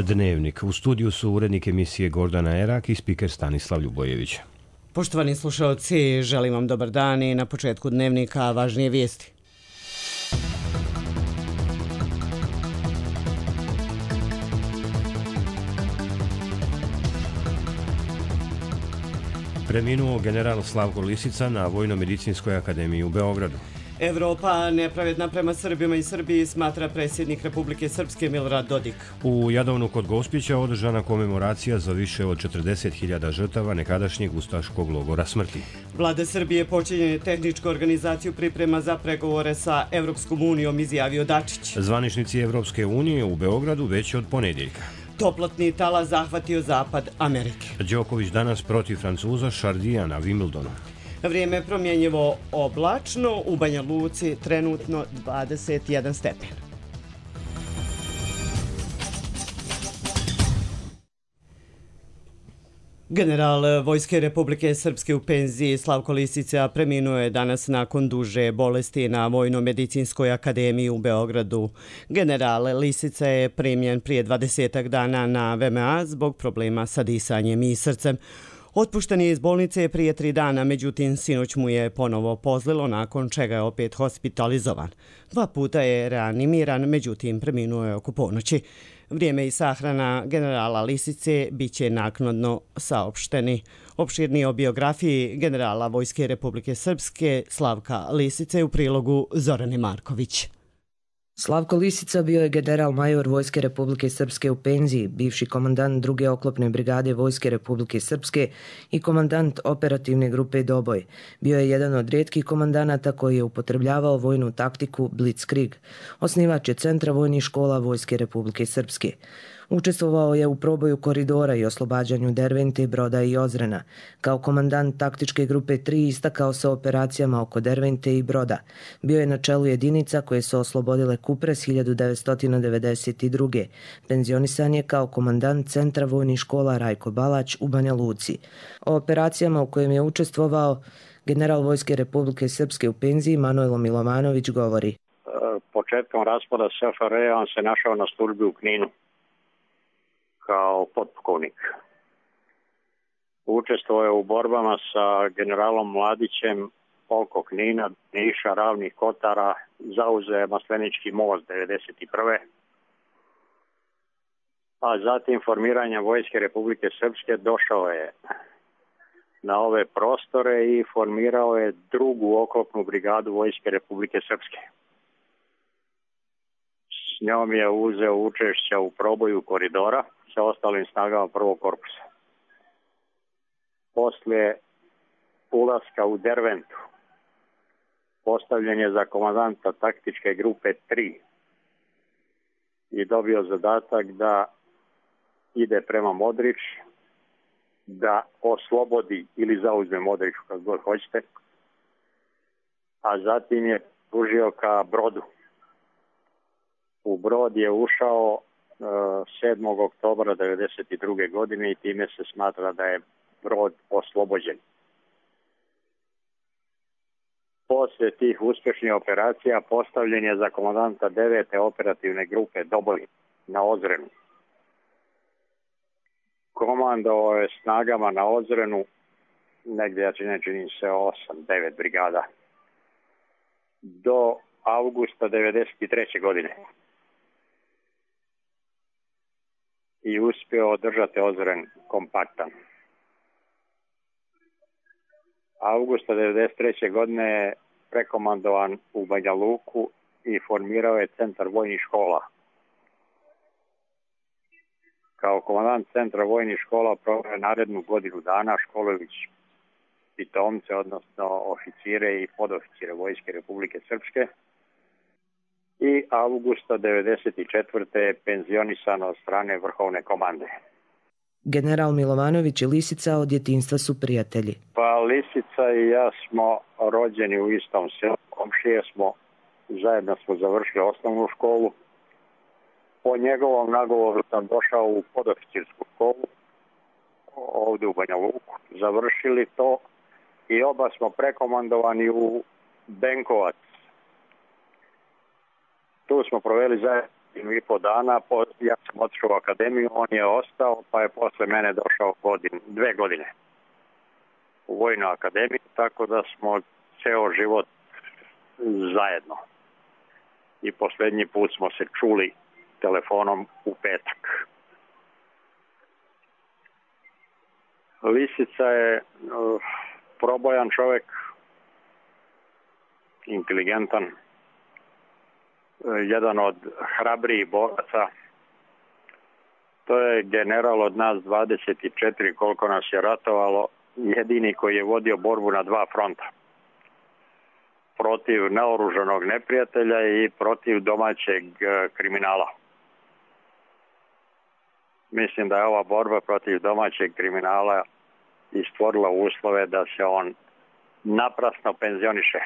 Dnevnik. U studiju su urednik emisije Gordana Erak i spiker Stanislav Ljubojević. Poštovani slušalci, želim vam dobar dan i na početku Dnevnika važnije vijesti. Preminuo general Slavko Lisica na Vojno-medicinskoj akademiji u Beogradu. Evropa nepravedna prema Srbima i Srbiji, smatra predsjednik Republike Srpske Milorad Dodik. U Jadovnu kod Gospića održana komemoracija za više od 40.000 žrtava nekadašnjeg ustaškog logora smrti. Vlada Srbije počinje tehničku organizaciju priprema za pregovore sa Evropskom unijom, izjavio Dačić. Zvaničnici Evropske unije u Beogradu već od ponedjeljka. Toplotni talas zahvatio zapad Amerike. Đoković danas protiv Francuza Šardija na Wimbledonu. Vrijeme promjenjivo oblačno, u Banja Luci trenutno 21 stepen. General Vojske Republike Srpske u penziji Slavko Lisica preminuo je danas nakon duže bolesti na Vojno-medicinskoj akademiji u Beogradu. General Lisica je primljen prije 20 dana na VMA zbog problema sa disanjem i srcem. Otpušten je iz bolnice prije 3 dana, međutim sinoć mu je ponovo pozlilo, nakon čega je opet hospitalizovan. 2 puta je reanimiran, međutim preminuo je oko ponoći. Vrijeme i sahrana generala Lisice bit će naknadno saopšteni. Opširnije o biografiji generala Vojske Republike Srpske Slavka Lisice u prilogu Zorane Marković. Slavko Lisica bio je general major Vojske Republike Srpske u penziji, bivši komandant 2. oklopne brigade Vojske Republike Srpske i komandant operativne grupe Doboj. Bio je jedan od rijetkih komandanata koji je upotrebljavao vojnu taktiku Blitzkrieg. Osnivač je Centra vojnih škola Vojske Republike Srpske. Učestvovao je u proboju koridora i oslobađanju Dervente, Broda i Ozrena. Kao komandant taktičke grupe 3 istakao se operacijama oko Dervente i Broda. Bio je na čelu jedinica koje su oslobodile Kupres 1992. Penzionisan je kao komandant Centra vojnih škola Rajko Balać u Banja Luci. O operacijama u kojem je učestvovao general Vojske Republike Srpske u penziji Manojlo Milovanović govori. Početkom raspada SFRJ on se našao na službi u Kninu kao potpukovnik. Učestvovao je u borbama sa generalom Mladićem oko Knina, Niša, Ravnih Kotara, zauzeo je Maslenički most 1991. A zatim formiranjem Vojske Republike Srpske došao je na ove prostore i formirao je 2. oklopnu brigadu Vojske Republike Srpske. S njom je uzeo učešća u proboju koridora sa ostalim snagama 1. korpusa. Poslije ulaska u Derventu postavljen je za komandanta taktičke grupe 3 i dobio zadatak da ide prema Modrić, da oslobodi ili zauzme Modrić, kako god hoćete, a zatim je pružio ka Brodu. U Brod je ušao 7. oktobra 1992. godine i time se smatra da je Brod oslobođen. Poslije tih uspješnih operacija postavljen je za komandanta 9. operativne grupe Doboj na Ozrenu. Komandovao je snagama na Ozrenu negdje, čini se 8-9 brigada do avgusta 1993. godine. I uspio održati Ozren kompaktan. Augusta 1993. godine je prekomandovan u Banja Luku i formirao je Centar vojnih škola. Kao komandant Centra vojnih škola proveo je narednu godinu dana školujući pitomce, odnosno oficire i podoficire Vojske Republike Srpske. I avgusta 1994. je penzionisan od strane vrhovne komande. General Milovanović i Lisica od djetinjstva su prijatelji. Pa Lisica i ja smo rođeni u istom selu, komšije smo, zajedno smo završili osnovnu školu. Po njegovom nagovoru sam došao u podoficirsku školu, ovdje u Banja Luku, završili to i oba smo prekomandovani u Benkovac. Tu smo proveli zajedno godinu i po dana. Ja sam otišao u akademiju, on je ostao, pa je posle mene došao 2 godine u Vojnu akademiju, tako da smo ceo život zajedno. I poslednji put smo se čuli telefonom u petak. Lisica je probojan čovek, inteligentan, jedan od hrabrijih boraca. To je general od nas 24, koliko nas je ratovalo, jedini koji je vodio borbu na 2 fronta. Protiv naoružanog neprijatelja i protiv domaćeg kriminala. Mislim da je ova borba protiv domaćeg kriminala i stvorila uslove da se on naprasno penzioniše.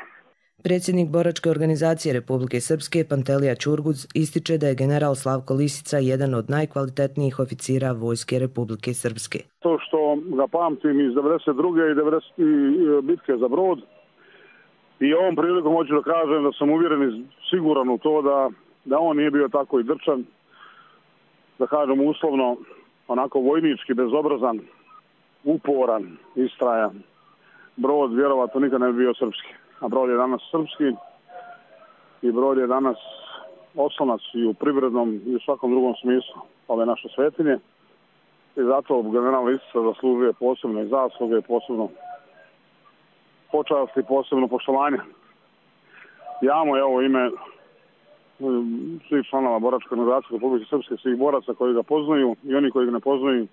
Predsjednik boračke organizacije Republike Srpske Pantelija Ćurguz ističe da je general Slavko Lisica jedan od najkvalitetnijih oficira Vojske Republike Srpske. To što ga pamtim iz 92. i 90. bitke za Brod, i ovom prilikom hoću da kažem da sam uvjeren i siguran u to da on nije bio tako i drčan, da kažem uslovno, onako vojnički, bezobrazan, uporan, istrajan. Brod vjerovatno nikad ne bi bio srpski. A Brod je danas srpski i Brod je danas oslonac i u privrednom i u svakom drugom smislu ove naše svetinje. I zato general Lisica zaslužuje posebne zasluge, posebno počast i posebno poštovanje. Ja mu evo ime svih članova boračke organizacije Republike Srpske, svih boraca koji ga poznaju i oni koji ga ne poznaju,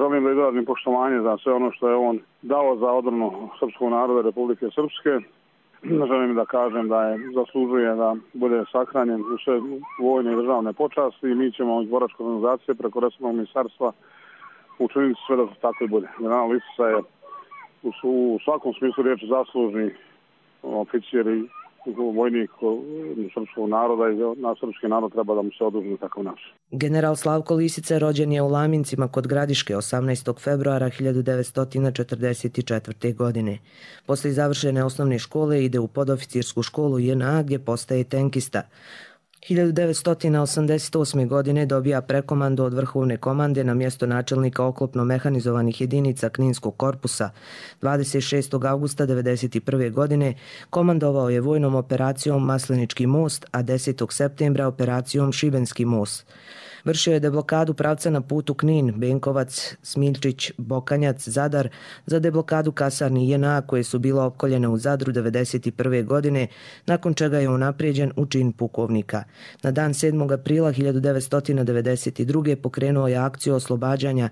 želim da izrazim poštovanje za sve ono što je on dao za odbranu srpskog naroda Republike Srpske. Želim da kažem da je zaslužuje da bude sahranjen u sve vojne i državne počasti i mi ćemo iz boračke organizacije preko resornog ministarstva učiniti sve da tako i bude. General Lisica je u svakom smislu riječi zaslužni oficir i vojnik srpskog naroda i na srpski narod treba da mu se oduži takav naš. General Slavko Lisica rođen je u Lamincima kod Gradiške 18. februara 1944. godine. Poslije završene osnovne škole ide u podoficirsku školu JNA gdje postaje tenkista. 1988. godine dobija prekomandu od vrhovne komande na mjesto načelnika oklopno-mehanizovanih jedinica Kninskog korpusa. 26. augusta 1991. godine komandovao je vojnom operacijom Maslenički most, a 10. septembra operacijom Šibenski most. Vršio je deblokadu pravca na putu Knin, Benkovac, Smiljčić, Bokanjac, Zadar za deblokadu kasarni JNA koje su bila opkoljene u Zadru 1991. godine, nakon čega je unaprijeđen u čin pukovnika. Na dan 7. aprila 1992. pokrenuo je akciju oslobađanja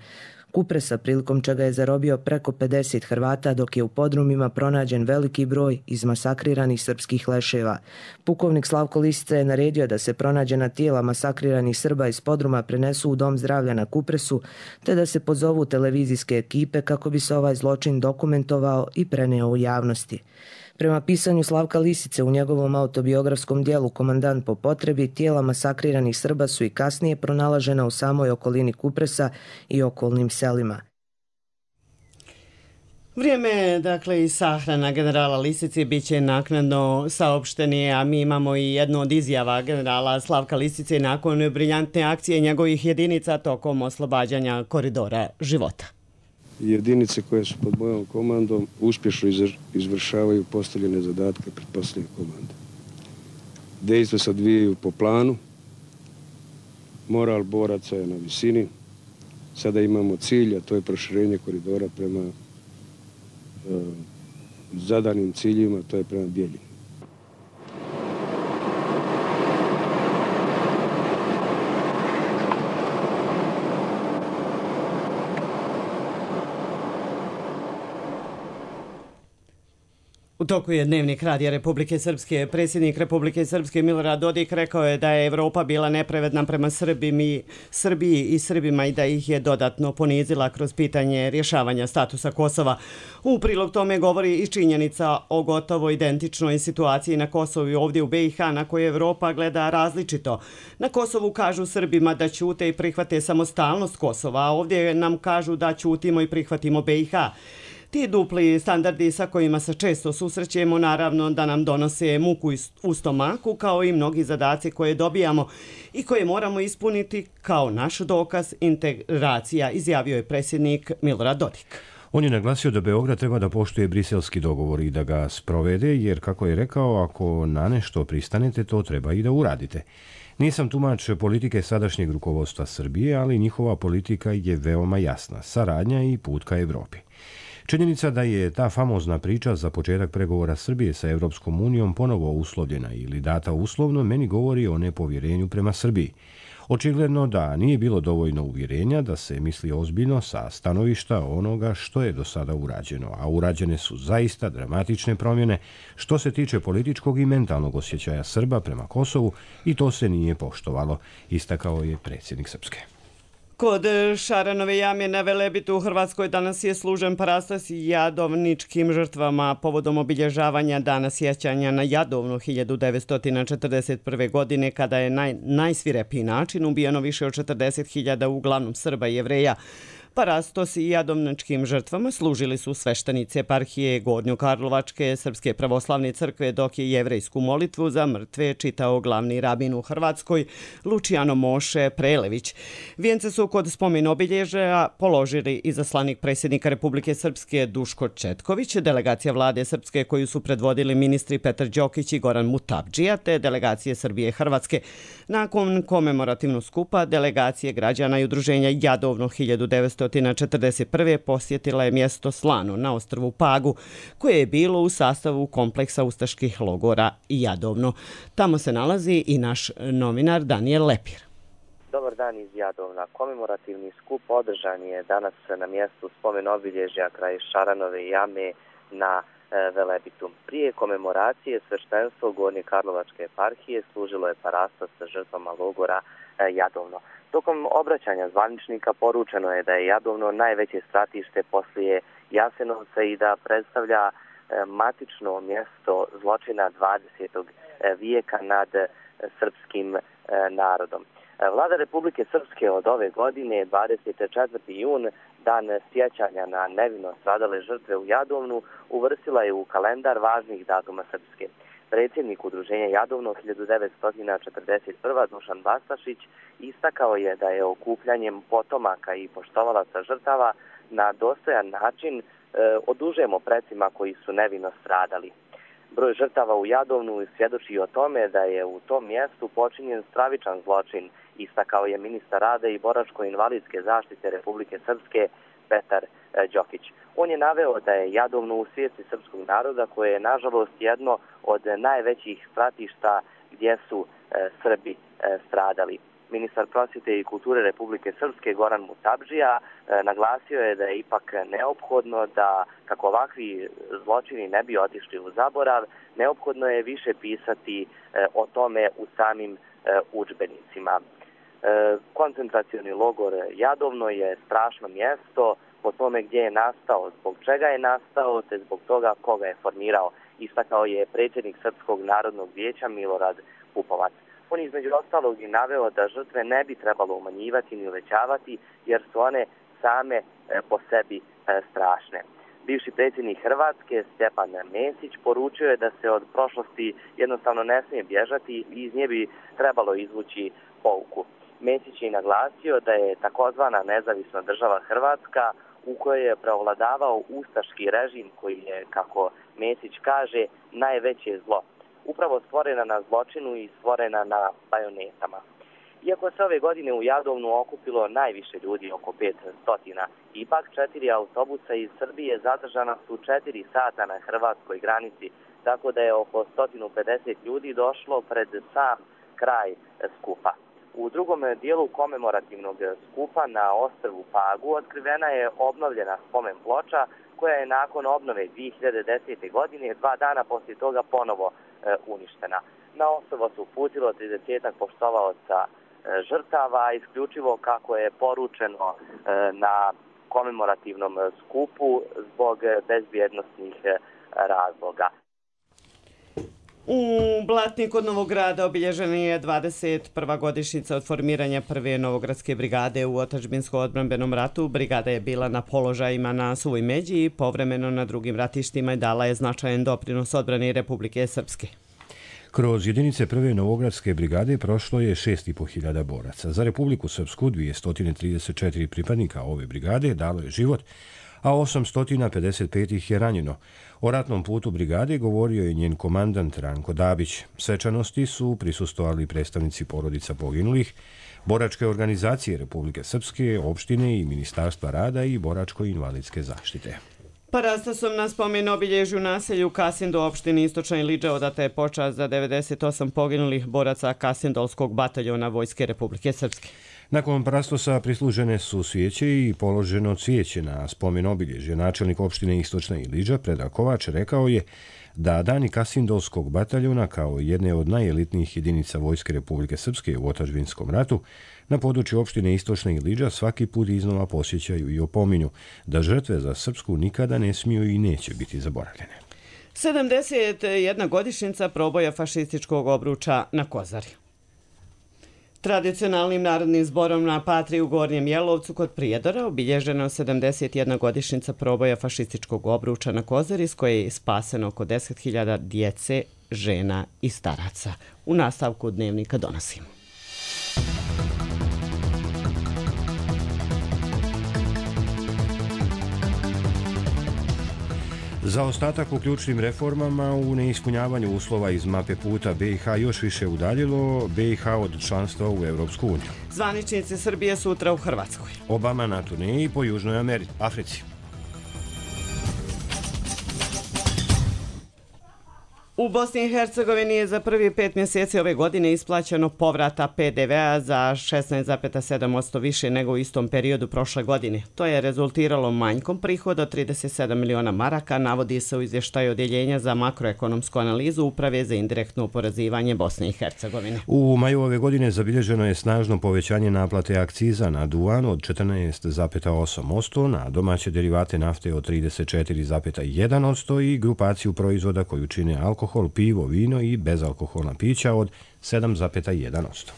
Kupresa, prilikom čega je zarobio preko 50 Hrvata, dok je u podrumima pronađen veliki broj izmasakriranih srpskih leševa. Pukovnik Slavko Lisica je naredio da se pronađena tijela masakriranih Srba iz podruma prenesu u Dom zdravlja na Kupresu, te da se pozovu televizijske ekipe kako bi se ovaj zločin dokumentovao i preneo u javnosti. Prema pisanju Slavka Lisice u njegovom autobiografskom dijelu Komandant po potrebi, tijela masakriranih Srba su i kasnije pronalažena u samoj okolini Kupresa i okolnim selima. Vrijeme, dakle, i sahrana generala Lisice bit će naknadno saopšteni, a mi imamo i jednu od izjava generala Slavka Lisice nakon briljantne akcije njegovih jedinica tokom oslobađanja koridora života. Jedinice koje su pod mojom komandom uspješno izvršavaju postavljene zadatke pred posljednje komande. Dejstva se odvijaju po planu, moral boraca je na visini. Sada imamo cilj, a to je proširenje koridora prema zadanim ciljima, to je prema Bijeljini. U toku je Dnevnik Radija Republike Srpske. Predsjednik Republike Srpske Milorad Dodik rekao je da je Evropa bila nepravedna prema Srbiji i Srbima i da ih je dodatno ponizila kroz pitanje rješavanja statusa Kosova. U prilog tome govori i činjenica o gotovo identičnoj situaciji na Kosovu i ovdje u BiH na koju Evropa gleda različito. Na Kosovu kažu Srbima da ćute i prihvate samostalnost Kosova, a ovdje nam kažu da ćutimo i prihvatimo BiH. Ti dupli standardi sa kojima se često susrećemo naravno da nam donose muku u stomaku, kao i mnogi zadaci koje dobijamo i koje moramo ispuniti kao naš dokaz integracija, izjavio je predsjednik Milorad Dodik. On je naglasio da Beograd treba da poštuje briselski dogovor i da ga sprovede, jer, kako je rekao, ako na nešto pristanete, to treba i da uradite. Nisam tumač politike sadašnjeg rukovodstva Srbije, ali njihova politika je veoma jasna, saradnja i put ka Evropi. Činjenica da je ta famozna priča za početak pregovora Srbije sa Evropskom unijom ponovo uslovljena ili data uslovno meni govori o nepovjerenju prema Srbiji. Očigledno da nije bilo dovoljno uvjerenja da se misli ozbiljno sa stanovišta onoga što je do sada urađeno, a urađene su zaista dramatične promjene što se tiče političkog i mentalnog osjećaja Srba prema Kosovu i to se nije poštovalo, istakao je predsjednik Srpske. Kod Šaranove jame na Velebitu u Hrvatskoj danas je služen parastos jadovničkim žrtvama povodom obilježavanja dana sjećanja na Jadovnu 1941. godine, kada je na najsvirepiji način ubijeno više od 40.000 uglavnom Srba i Jevreja. Parastos i jadovničkim žrtvama služili su sveštenici eparhije Gornjokarlovačke Srpske pravoslavne crkve, dok je jevrejsku molitvu za mrtve čitao glavni rabin u Hrvatskoj Lučijano Moše Prelević. Vijence su kod spomen obilježaja položili izaslanik predsjednika Republike Srpske Duško Četković, delegacija vlade Srpske koju su predvodili ministri Petar Đokić i Goran Mutavdžija, te delegacije Srbije i Hrvatske. Nakon komemorativnog skupa delegacije građana i udruženja Jadovno 1941. posjetila je mjesto Slano na ostrvu Pagu, koje je bilo u sastavu kompleksa ustaških logora Jadovno. Tamo se nalazi i naš novinar Daniel Lepir. Dobar dan iz Jadovna. Komemorativni skup održan je danas na mjestu spomen obilježja kraj Šaranove jame na Velebitu. Prije komemoracije sveštenstvo Gornjokarlovačke eparhije služilo je parastos sa žrtvama logora Jadovno. Tokom obraćanja zvaničnika poručeno je da je Jadovno najveće stratište poslije Jasenovca i da predstavlja matično mjesto zločina 20. vijeka nad srpskim narodom. Vlada Republike Srpske od ove godine, 24. jun, dan sjećanja na nevino stradale žrtve u Jadovnu, uvrstila je u kalendar važnih datuma Srpske. Predsjednik udruženja Jadovno 1941. Dušan Bastašić istakao je da je okupljanjem potomaka i poštovalaca žrtava na dostojan način odužujemo precima koji su nevino stradali. Broj žrtava u Jadovnu svjedoči o tome da je u tom mjestu počinjen stravičan zločin, istakao je ministar rada i boračko-invalidske zaštite Republike Srpske Petar Đokić. On je naveo da je Jadovno u svijesti srpskog naroda, koje je nažalost jedno od najvećih stratišta gdje su Srbi stradali. Ministar prosvjete i kulture Republike Srpske Goran Mutavdžija naglasio je da je ipak neophodno da, kako ovakvi zločini ne bi otišli u zaborav, neophodno je više pisati o tome u samim udžbenicima. Koncentracioni logor Jadovno je strašno mjesto po tome gdje je nastao, zbog čega je nastao, te zbog toga koga je formirao, istakao je predsjednik Srpskog narodnog vijeća Milorad Pupovac. On je između ostalog i naveo da žrtve ne bi trebalo umanjivati ni uvećavati, jer su one same po sebi strašne. Bivši predsjednik Hrvatske Stjepan Mesić poručio je da se od prošlosti jednostavno ne smije bježati i iz nje bi trebalo izvući pouku. Mesić je naglasio da je takozvana nezavisna država Hrvatska, u kojoj je preovladavao ustaški režim koji je, kako Mesić kaže, najveće zlo. Upravo stvorena na zločinu i stvorena na bajonetama. Iako se ove godine u Jadovnu okupilo najviše ljudi, oko 500, ipak 4 autobusa iz Srbije zadržana su 4 sata na hrvatskoj granici, tako da je oko 150 ljudi došlo pred sam kraj skupa. U drugom dijelu komemorativnog skupa na ostrvu Pagu otkrivena je obnovljena spomen ploča, koja je nakon obnove 2010. godine 2 dana poslije toga ponovo uništena. Na ostrvo su uputilo 30 poštovaoca žrtava, isključivo kako je poručeno na komemorativnom skupu zbog bezbjednosnih razloga. U Blatni kod Novog Grada obilježena je 21. godišnjica od formiranja prve Novogradske brigade u otadžbinsko-odbrambenom ratu. Brigada je bila na položajima na Suvoj Međi i povremeno na drugim ratištima i dala je značajan doprinos odbrani Republike Srpske. Kroz jedinice prve Novogradske brigade prošlo je 6.500 boraca. Za Republiku Srpsku 234 pripadnika ove brigade dalo je život, a 855 ih je ranjeno. O ratnom putu brigade govorio je njen komandant Ranko Dabić. Svečanosti su prisustvovali predstavnici porodica poginulih, boračke organizacije Republike Srpske, opštine i Ministarstva rada i boračko-invalidske zaštite. Parastasom na spomen obilježju naselju Kasindu opštini Istočna Iliđa odata je počast za 98 poginulih boraca Kasindolskog bataljona Vojske Republike Srpske. Nakon parastosa prislužene su svijeće i položeno cvijeće na spomen obilježje. Načelnik opštine Istočna Iliđa Predrag Kovač rekao je da dani Kasindolskog bataljona kao jedne od najelitnijih jedinica Vojske Republike Srpske u otadžbinskom ratu na području opštine Istočna Iliđa svaki put iznova posjećaju i opominju da žrtve za Srpsku nikada ne smiju i neće biti zaboravljene. 71 godišnjica proboja fašističkog obruča na Kozari. Tradicionalnim narodnim zborom na Patri u Gornjem Jelovcu kod Prijedora obilježena 71 godišnjica proboja fašističkog obruča na Kozari s koje je spaseno oko 10.000 djece, žena i staraca. U nastavku dnevnika donosimo. Zaostatak u ključnim reformama u neispunjavanju uslova iz mape puta BiH još više udaljilo BiH od članstva u Evropsku uniju. Zvaničnici Srbije sutra u Hrvatskoj. Obama na turneji po Južnoj Africi. U Bosni i Hercegovini je za prvi 5 mjeseci ove godine isplaćeno povrata PDV-a za 16,7% više nego u istom periodu prošle godine. To je rezultiralo manjkom prihoda od 37 miliona maraka, navodi se u izvještaju Odjeljenja za makroekonomsku analizu Uprave za indirektno oporezivanje Bosne i Hercegovine. U maju ove godine zabilježeno je snažno povećanje naplate akciza na duvan od 14,8%, na domaće derivate nafte od 34,1% i grupaciju proizvoda koju čine alkohol, pivo, vino i bezalkoholna pića od 7,1%.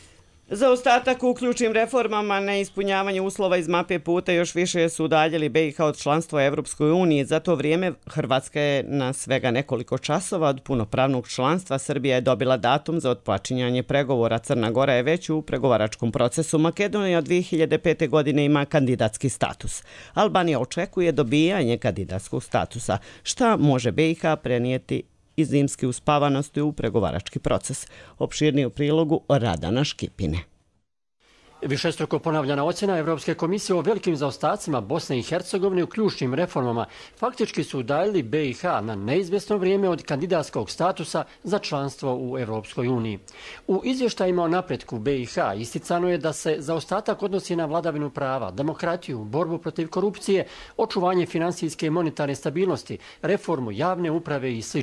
Za ostatak u ključnim reformama na ispunjavanje uslova iz mape puta još više su udaljili BiH od članstva u Evropskoj uniji. Za to vrijeme Hrvatska je na svega nekoliko časova od punopravnog članstva. Srbija je dobila datum za otpočinjanje pregovora. Crna Gora je već u pregovaračkom procesu. Makedonija od 2005. godine ima kandidatski status. Albanija očekuje dobijanje kandidatskog statusa. Šta može BiH prenijeti i zimske uspavanosti u pregovarački proces? Opširnije u prilogu Radana Škipine. Višestruko ponavljana ocjena Evropske komisije o velikim zaostacima Bosne i Hercegovine u ključnim reformama faktički su udaljili BiH na neizvjesno vrijeme od kandidatskog statusa za članstvo u Evropskoj uniji. U izvještajima o napretku BiH isticano je da se zaostatak odnosi na vladavinu prava, demokratiju, borbu protiv korupcije, očuvanje finansijske i monetarne stabilnosti, reformu javne uprave i sl.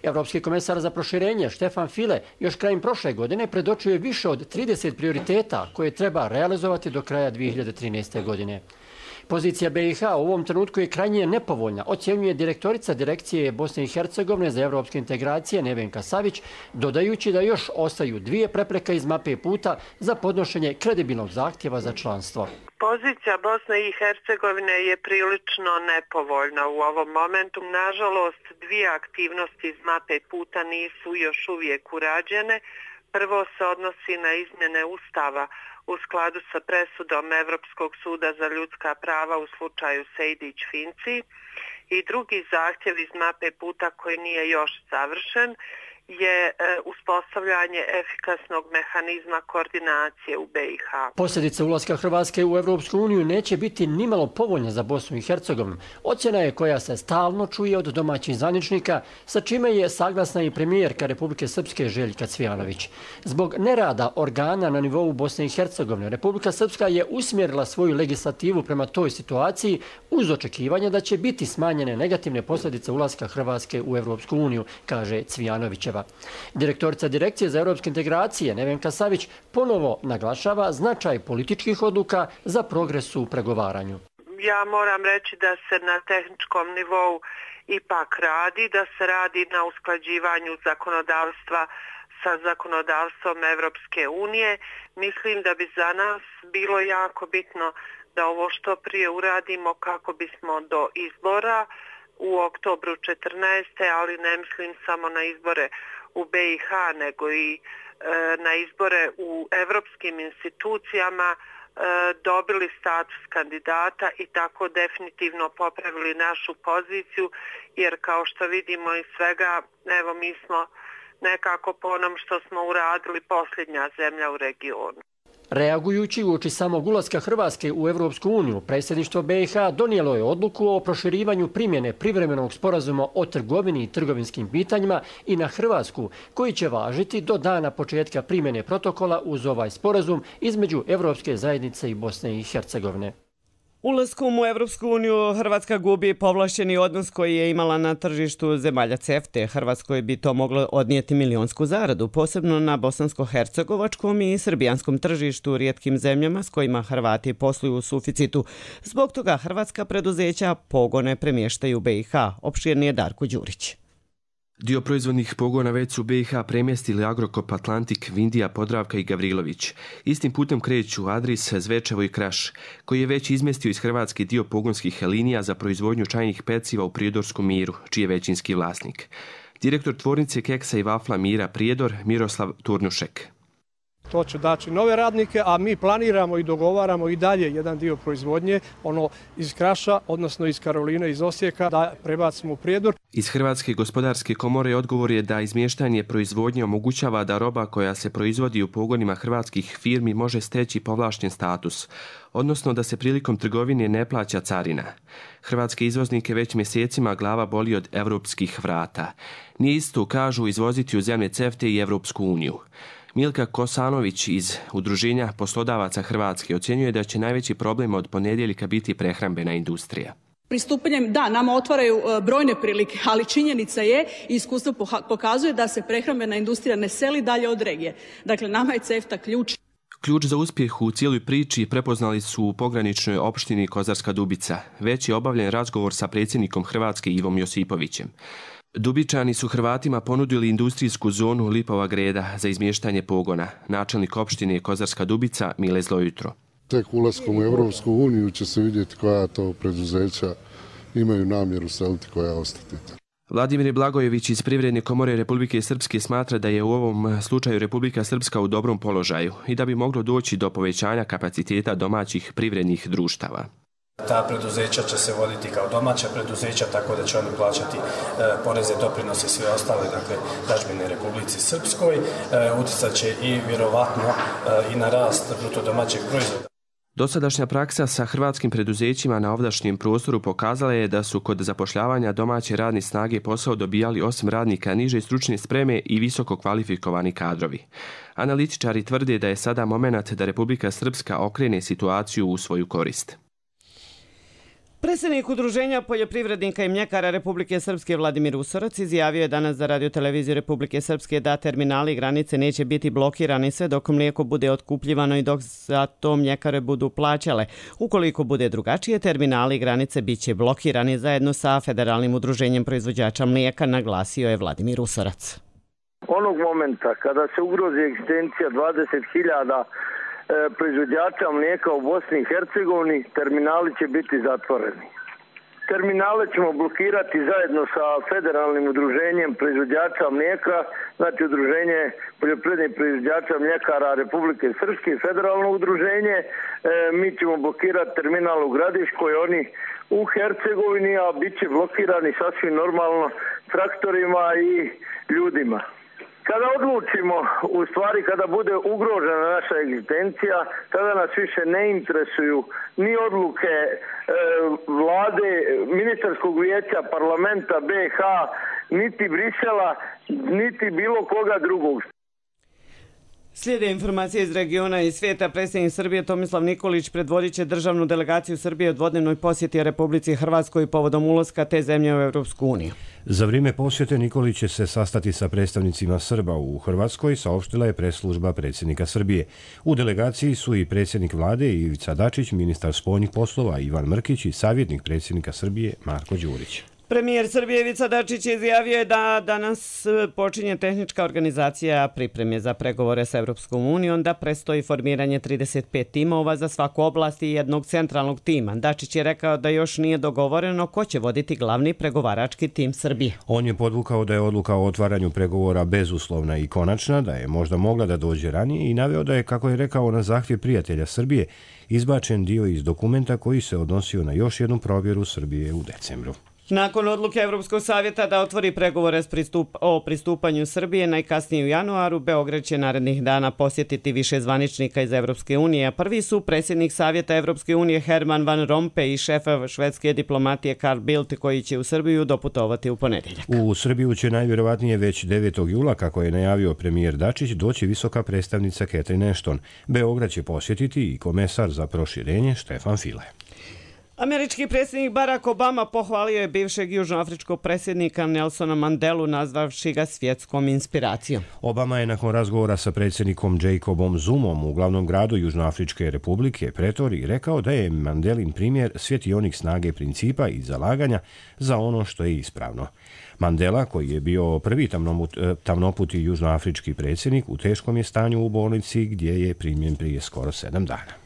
Evropski komesar za proširenje Štefan File još krajem prošle godine predočio je više od 30 prioriteta koje treba realizovati do kraja 2013. godine. Pozicija BiH u ovom trenutku je krajnje nepovoljna, ocjenjuje direktorica Direkcije Bosne i Hercegovine za evropske integracije Nevenka Savić, dodajući da još ostaju 2 prepreke iz mape puta za podnošenje kredibilnog zahtjeva za članstvo. Pozicija Bosne i Hercegovine je prilično nepovoljna u ovom momentu. Nažalost, 2 aktivnosti iz mape puta nisu još uvijek urađene. Prvo se odnosi na izmjene Ustava u skladu sa presudom Evropskog suda za ljudska prava u slučaju Sejdić-Finci i drugi zahtjev iz mape puta koji nije još završen je uspostavljanje efikasnog mehanizma koordinacije u BiH. Posljedice ulaska Hrvatske u Evropsku uniju neće biti nimalo povoljne za Bosnu i Hercegovinu. Ocjena je koja se stalno čuje od domaćih zvaničnika, sa čime je saglasna i premijerka Republike Srpske Željka Cvijanović. Zbog nerada organa na nivou Bosne i Hercegovine, Republika Srpska je usmjerila svoju legislativu prema toj situaciji uz očekivanje da će biti smanjene negativne posljedice ulaska Hrvatske u Evropsku uniju, kaže Cvijanovićeva. Direktorica Direkcije za evropske integracije Nevenka Savić ponovo naglašava značaj političkih odluka za progres u pregovaranju. Ja moram reći da se na tehničkom nivou ipak radi, da se radi na usklađivanju zakonodavstva sa zakonodavstvom Evropske unije. Mislim da bi za nas bilo jako bitno da ovo što prije uradimo kako bismo do izbora u oktobru 14. ali ne mislim samo na izbore u BiH nego i na izbore u evropskim institucijama dobili status kandidata i tako definitivno popravili našu poziciju, jer kao što vidimo iz svega, evo mi smo nekako po onom što smo uradili posljednja zemlja u regionu. Reagujući uoči samog ulaska Hrvatske u Evropsku uniju, predsjedništvo BiH donijelo je odluku o proširivanju primjene privremenog sporazuma o trgovini i trgovinskim pitanjima i na Hrvatsku, koji će važiti do dana početka primjene protokola uz ovaj sporazum između Evropske zajednice i Bosne i Hercegovine. Ulaskom u Evropsku uniju Hrvatska gubi povlašćeni odnos koji je imala na tržištu zemalja CEFTA. Hrvatskoj bi to moglo odnijeti milionsku zaradu, posebno na bosansko-hercegovačkom i srbijanskom tržištu, rijetkim zemljama s kojima Hrvati posluju u suficitu. Zbog toga hrvatska preduzeća pogone premještaju u BiH. Opširnije Darko Đurić. Dio proizvodnih pogona već su BiH premjestili Agrokop Atlantik, Vindija, Podravka i Gavrilović. Istim putem kreću Adris, Zvečevo i Kraš, koji je već izmjestio iz Hrvatske dio pogonskih linija za proizvodnju čajnih peciva u Prijedorskom Miru, čiji je većinski vlasnik. Direktor tvornice keksa i vafla Mira Prijedor, Miroslav Turnušek. To će daći nove radnike, a mi planiramo i dogovaramo i dalje jedan dio proizvodnje, ono iz Kraša, odnosno iz Karoline, iz Osijeka, da prebacimo u Prijedor. Iz Hrvatske gospodarske komore odgovor je da izmještanje proizvodnje omogućava da roba koja se proizvodi u pogonima hrvatskih firmi može steći povlašten status, odnosno da se prilikom trgovine ne plaća carina. Hrvatske izvoznike već mjesecima glava boli od europskih vrata. Nije isto, kažu, izvoziti u zemlje CEFTA i Evropsku uniju. Milka Kosanović iz Udruženja poslodavaca Hrvatske ocjenjuje da će najveći problem od ponedjeljka biti prehrambena industrija. Pristupanjem, da, nama otvaraju brojne prilike, ali činjenica je i iskustvo pokazuje da se prehrambena industrija ne seli dalje od regije. Dakle, nama je CEFTA ključ. Ključ za uspjeh u cijeloj priči prepoznali su u pograničnoj opštini Kozarska Dubica. Već je obavljen razgovor sa predsjednikom Hrvatske Ivom Josipovićem. Dubičani su Hrvatima ponudili industrijsku zonu Lipova Greda za izmještanje pogona. Načelnik opštine Kozarska Dubica Mile Zlojutro. Tek ulaskom u Evropsku uniju će se vidjeti koja to preduzeća imaju namjeru seliti, koja ostati. Vladimir Blagojević iz Privredne komore Republike Srpske smatra da je u ovom slučaju Republika Srpska u dobrom položaju i da bi moglo doći do povećanja kapaciteta domaćih privrednih društava. Ta preduzeća će se voditi kao domaća preduzeća, tako da će oni plaćati poreze, doprinose i sve ostale, dakle, dažbine Republici Srpskoj. Utjecat će i vjerovatno i na rast bruto domaćeg proizvoda. Dosadašnja praksa sa hrvatskim preduzećima na ovdašnjem prostoru pokazala je da su kod zapošljavanja domaće radne snage posao dobijali osim radnika niže stručne spreme i visoko kvalifikovani kadrovi. Analitičari tvrde da je sada momenat da Republika Srpska okrene situaciju u svoju korist. Predsjednik Udruženja poljoprivrednika i mljekara Republike Srpske Vladimir Usorac izjavio je danas za radioteleviziju Republike Srpske da terminali i granice neće biti blokirani sve dok mlijeko bude otkupljivano i dok za to mljekare budu plaćale. Ukoliko bude drugačije, terminali i granice bit će blokirani zajedno sa Federalnim udruženjem proizvođača mlijeka, naglasio je Vladimir Usorac. Onog momenta kada se ugrozi egzistencija 20.000 proizvođača mlijeka u Bosni i Hercegovini, terminali će biti zatvoreni. Terminale ćemo blokirati zajedno sa Federalnim udruženjem proizvođača mlijeka, znači Udruženje poljoprivrednih proizvođača mljekara Republike Srpske i Federalno udruženje. Mi ćemo blokirati terminal u Gradiškoj, oni u Hercegovini, a bit će blokirani sasvim normalno traktorima i ljudima. Kada odlučimo, u stvari kada bude ugrožena naša egzistencija, tada nas više ne interesuju ni odluke vlade, ministarskog vijeća, parlamenta BiH, niti Brisela, niti bilo koga drugog. Slijede informacije iz regiona i svijeta. Predsjednik Srbije Tomislav Nikolić predvodit će državnu delegaciju Srbije u dvodnevnoj posjeti Republici Hrvatskoj povodom ulaska te zemlje u Europsku uniju. Za vrijeme posjete Nikolić će se sastati sa predstavnicima Srba u Hrvatskoj, saopštila je press-služba predsjednika Srbije. U delegaciji su i predsjednik vlade Ivica Dačić, ministar spoljnih poslova Ivan Mrkić i savjetnik predsjednika Srbije Marko Đurić. Premijer Srbije Ivica Dačić izjavio je da danas počinje tehnička organizacija pripreme za pregovore sa Europskom unijom, da predstoji formiranje 35 timova za svaku oblast i jednog centralnog tima. Dačić je rekao da još nije dogovoreno ko će voditi glavni pregovarački tim Srbije. On je podvukao da je odluka o otvaranju pregovora bezuslovna i konačna, da je možda mogla da dođe ranije i naveo da je, kako je rekao, na zahtjev prijatelja Srbije izbačen dio iz dokumenta koji se odnosio na još jednu provjeru Srbije u decembru. Nakon odluke Europskog savjeta da otvori pregovore o pristupanju Srbije najkasnije u januaru, Beograd će narednih dana posjetiti više zvaničnika iz Europske unije. Prvi su predsjednik Savjeta Europske unije Herman Van Rompuy i šef švedske diplomatije Carl Bildt, koji će u Srbiju doputovati u ponedjeljak. U Srbiju će najvjerovatnije već 9. jula, kako je najavio premijer Dačić, doći visoka predstavnica Catherine Ashton. Beograd će posjetiti i komesar za proširenje Stefan Füle. Američki predsjednik Barack Obama pohvalio je bivšeg južnoafričkog predsjednika Nelsona Mandelu, nazvavši ga svjetskom inspiracijom. Obama je nakon razgovora sa predsjednikom Jacobom Zumom u glavnom gradu Južnoafričke republike Pretoriji rekao da je Mandelin primjer svjetionik snage principa i zalaganja za ono što je ispravno. Mandela, koji je bio prvi tamnoputi južnoafrički predsjednik, u teškom je stanju u bolnici gdje je primljen prije skoro 7 dana.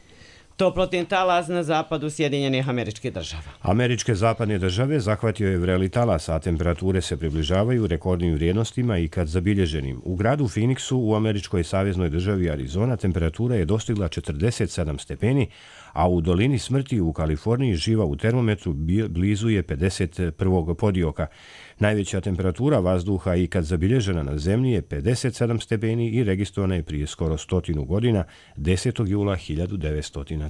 Toplotni talas na zapadu Sjedinjenih Američkih Država. Američke zapadne države zahvatio je vreli talas, a temperature se približavaju rekordnim vrijednostima i kad zabilježenim. U gradu Phoenixu u američkoj saveznoj državi Arizona temperatura je dostigla 47 stepeni, a u dolini smrti u Kaliforniji živa u termometru blizu je 51. podioka. Najveća temperatura vazduha i kad zabilježena na zemlji je 57 stepeni i registrovana je prije skoro 100 godina, 10. jula 1913.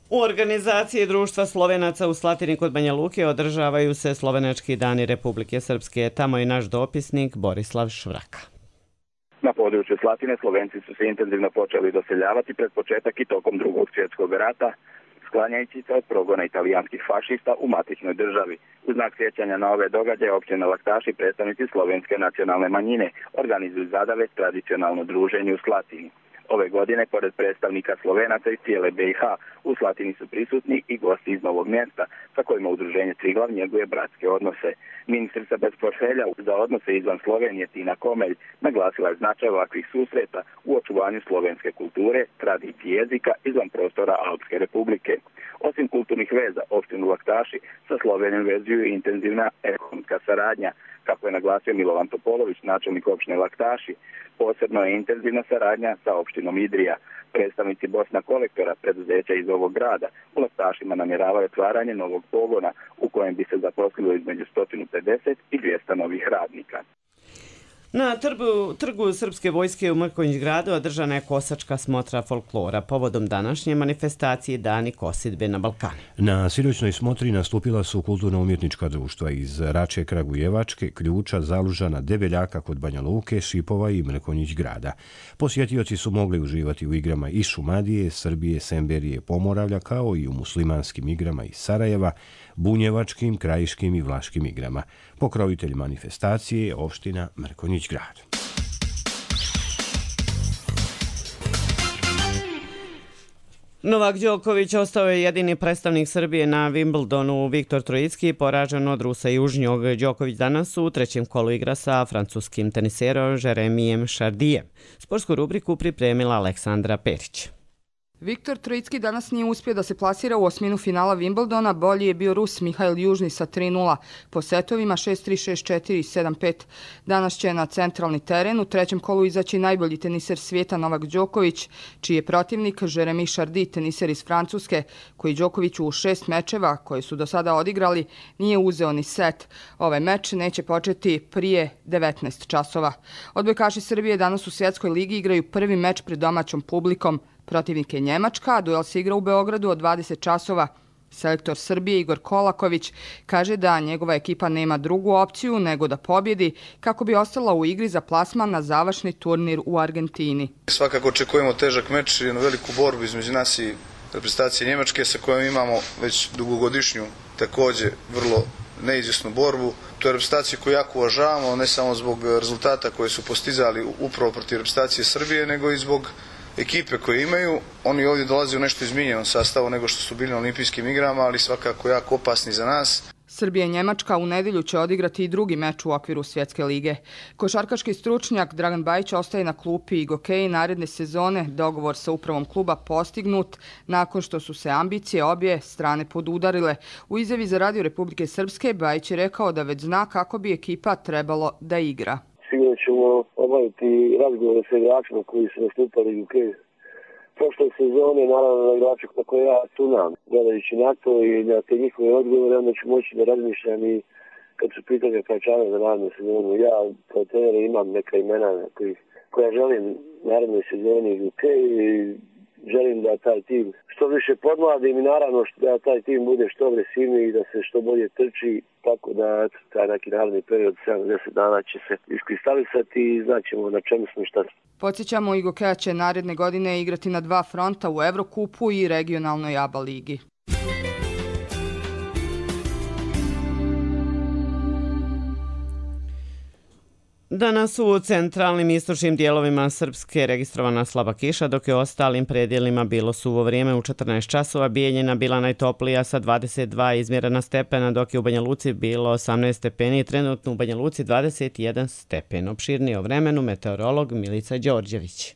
U organizaciji Društva Slovenaca u Slatini kod Banja Luke održavaju se Slovenački dani Republike Srpske. Tamo je naš dopisnik Borislav Švraka. Na području Slatine Slovenci su se intenzivno počeli doseljavati pred početak i tokom Drugog svjetskog rata, sklanjajući se od progona italijanskih fašista u matičnoj državi. U znak sjećanja na ove događaje općina Laktaši, predstavnici slovenske nacionalne manjine, organizuju zadave tradicionalno druženje u Slatini. Ove godine, pored predstavnika Slovenaca iz cijele BiH, u Slatini su prisutni i gosti iz Novog Mjesta, sa kojima udruženje Triglav njeguje bratske odnose. Ministrica bez portfelja za odnose izvan Slovenije Tina Komelj naglasila je značaj ovakvih susreta u očuvanju slovenske kulture, tradicije jezika izvan prostora Alpske republike. Osim kulturnih veza, opštinu Laktaši sa Slovenijom vezuju i intenzivna ekonomska saradnja. Kako je naglasio Milovan Topolović, načelnik opštine Laktaši, posebno je intenzivna saradnja sa opštinom Idrija. Predstavnici Bosna Kolektora, preduzeća iz ovog grada, u Laktašima namjeravaju otvaranje novog pogona u kojem bi se zaposlilo između 150 i 200 novih radnika. Na trgu Srpske vojske u Mrkonjić gradu održana je kosačka smotra folklora povodom današnje manifestacije Dani kosidbe na Balkanu. Na sinoćnoj smotri nastupila su kulturno-umjetnička društva iz Rače Kragujevačke, Ključa, Zalužana, Debeljaka kod Banja Luke, Šipova i Mrkonjić grada. Posjetioci su mogli uživati u igrama iz Šumadije, Srbije, Semberije, Pomoravlja, kao i u muslimanskim igrama iz Sarajeva, bunjevačkim, krajiškim i vlaškim igrama. Pokrovitelj manifestacije je opština Mrkonjić grad. Novak Đoković ostao je jedini predstavnik Srbije na Wimbledonu. Viktor Trojicki poražen od Rusa Južnjog. Đoković danas u trećem kolu igra sa francuskim teniserom Jeremijem Chardijem. Sportsku rubriku pripremila Aleksandra Perić. Viktor Trojicki danas nije uspio da se plasira u osminu finala Wimbledona, bolji je bio Rus Mihail Južni sa 3-0, po setovima 6-3, 6-4 i 7-5. Danas će na centralni teren u trećem kolu izaći najbolji teniser svijeta Novak Đoković, čiji je protivnik Jeremy Chardy, teniser iz Francuske, koji Đokoviću u 6 mečeva koje su do sada odigrali nije uzeo ni set. Ovaj meč neće početi prije 19 časova. Odbojkaši Srbije danas u Svjetskoj ligi igraju prvi meč pred domaćom publikom. Protivnik je Njemačka, a duel se igra u Beogradu od 20 časova. Selektor Srbije Igor Kolaković kaže da njegova ekipa nema drugu opciju nego da pobjedi kako bi ostala u igri za plasman na završni turnir u Argentini. Svakako očekujemo težak meč i jednu veliku borbu između nas i reprezentacije Njemačke sa kojom imamo već dugogodišnju također vrlo neizvjesnu borbu. To je reprezentacija koju jako uvažavamo, ne samo zbog rezultata koje su postizali upravo protiv reprezentacije Srbije, nego i zbog ekipe koje imaju. Oni ovdje dolaze u nešto izmijenjenom sastavu nego što su bili na olimpijskim igrama, ali svakako jako opasni za nas. Srbija i Njemačka u nedjelju će odigrati i drugi meč u okviru Svjetske lige. Košarkaški stručnjak Dragan Bajić ostaje na klupi i gokeji naredne sezone. Dogovor sa upravom kluba postignut nakon što su se ambicije obje strane podudarile. U izjavi za Radio Republike Srpske Bajić je rekao da već zna kako bi ekipa trebalo da igra. Sigurno ćemo obaviti razgovore sa igračima koji su nastupali u gokeju prošle sezone, naravno na igrače na koje ja tunam. Gledajući na to i na te njihove odgovore, onda ću moći da razmišljam i kad su pitanja pojačanja za narednu sezonu. Ja kao trener imam neka imena koja želim naredne sezoni u gokeju i želim da taj tim što više podmladim i naravno da taj tim bude što agresivniji i da se što bolje trči, tako da taj neki naredni period 70 dana će se iskristalisati i znaćemo na čemu smo i šta smo. Podsjećamo, i gokeja će naredne godine igrati na 2 fronta u Evrokupu i regionalnoj ABA ligi. Danas u centralnim i istočnim dijelovima Srpske registrovana slaba kiša, dok je u ostalim predjelima bilo suvo vrijeme. U 14 časova Bijeljina bila najtoplija sa 22 izmjerena stepena, dok je u Banja Luci bilo 18 stepeni i trenutno u Banja Luci 21 stepen. Opširnije o vremenu meteorolog Milica Đorđević.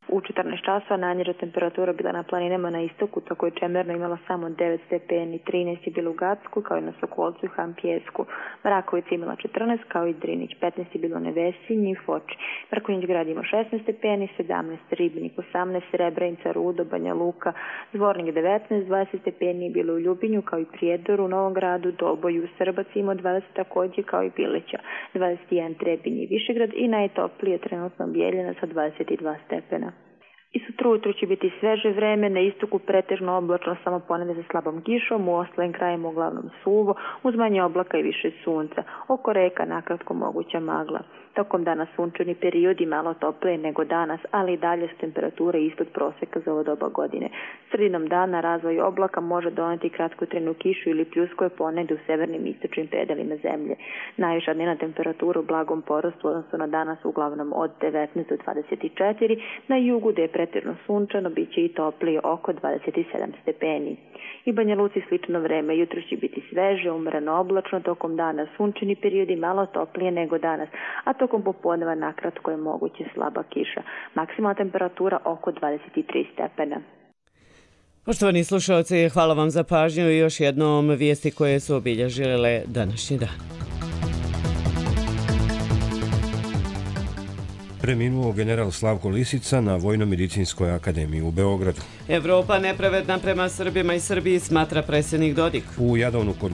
U 14 časova najniža temperatura bila na planinama na istoku, tako je Čemerno imala samo 9 stepeni, 13 je bilo u Gacku, kao i na Sokolcu i Hampijesku. Mrakovica imala 14, kao i Drinić, 15 je bilo u Nevesinji i Foči. Mrkonjić grad ima 16 stepeni, 17 Ribnik, 18 Srebrenica, Rudo, Banja Luka, Zvornik 19, 20 stepeni je bilo u Ljubinju, kao i Prijedoru, Novom Gradu, Doboju, Srbac ima 20 također, kao i Bileća, 21 Trebinje i Višegrad i najtoplije trenutno Bijeljina sa 22 stepena. I sutra ujutru će biti sveže vreme, na istoku pretežno oblačno, samo ponedjeljak sa slabom kišom, u ostalim krajima uglavnom suvo, uz manje oblaka i više sunca. Oko reka nakratko moguća magla. Tokom dana sunčani periodi malo toplije nego danas, ali i dalje su temperature ispod prosjeka za ovo doba godine. Sredinom dana razvoj oblaka može doneti kratkotrajnu kišu ili pljuskove ponegdje u severnim i istočnim predelima zemlje. Najviša dnevna temperatura u blagom porastu odnosno na danas uglavnom od 19 do 24, na jugu gdje je pretežno sunčano bit će i toplije oko 27 stepeni. I Banja Luci slično vreme, jutro će biti sveže, umreno oblačno, tokom dana sunčani periodi malo toplije nego danas, a tokom popodneva nakratko je moguće slaba kiša. Maksimalna temperatura oko 23 stepena. Poštovani slušalci, hvala vam za pažnju i još jednom vijesti koje su obilježile današnji dan. Preminuo general Slavko Lisica na Vojno-medicinskoj akademiji u Beogradu. Evropa nepravedna prema Srbima i Srbiji, smatra predsjednik Dodik. U Jadovnu kod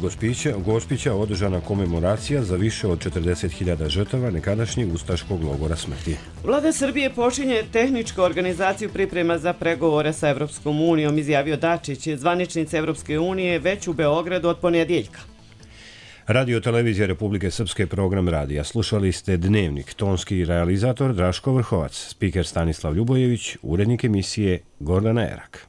Gospića održana komemoracija za više od 40.000 žrtava nekadašnjeg ustaškog logora smrti. Vlada Srbije počinje tehničku organizaciju priprema za pregovore sa Evropskom unijom, izjavio Dačić, zvaničnica Evropske unije već u Beogradu od ponedjeljka. Radio Televizija Republike Srpske, program radija. Slušali ste Dnevnik, tonski realizator Draško Vrhovac, spiker Stanislav Ljubojević, urednik emisije Gordana Erak.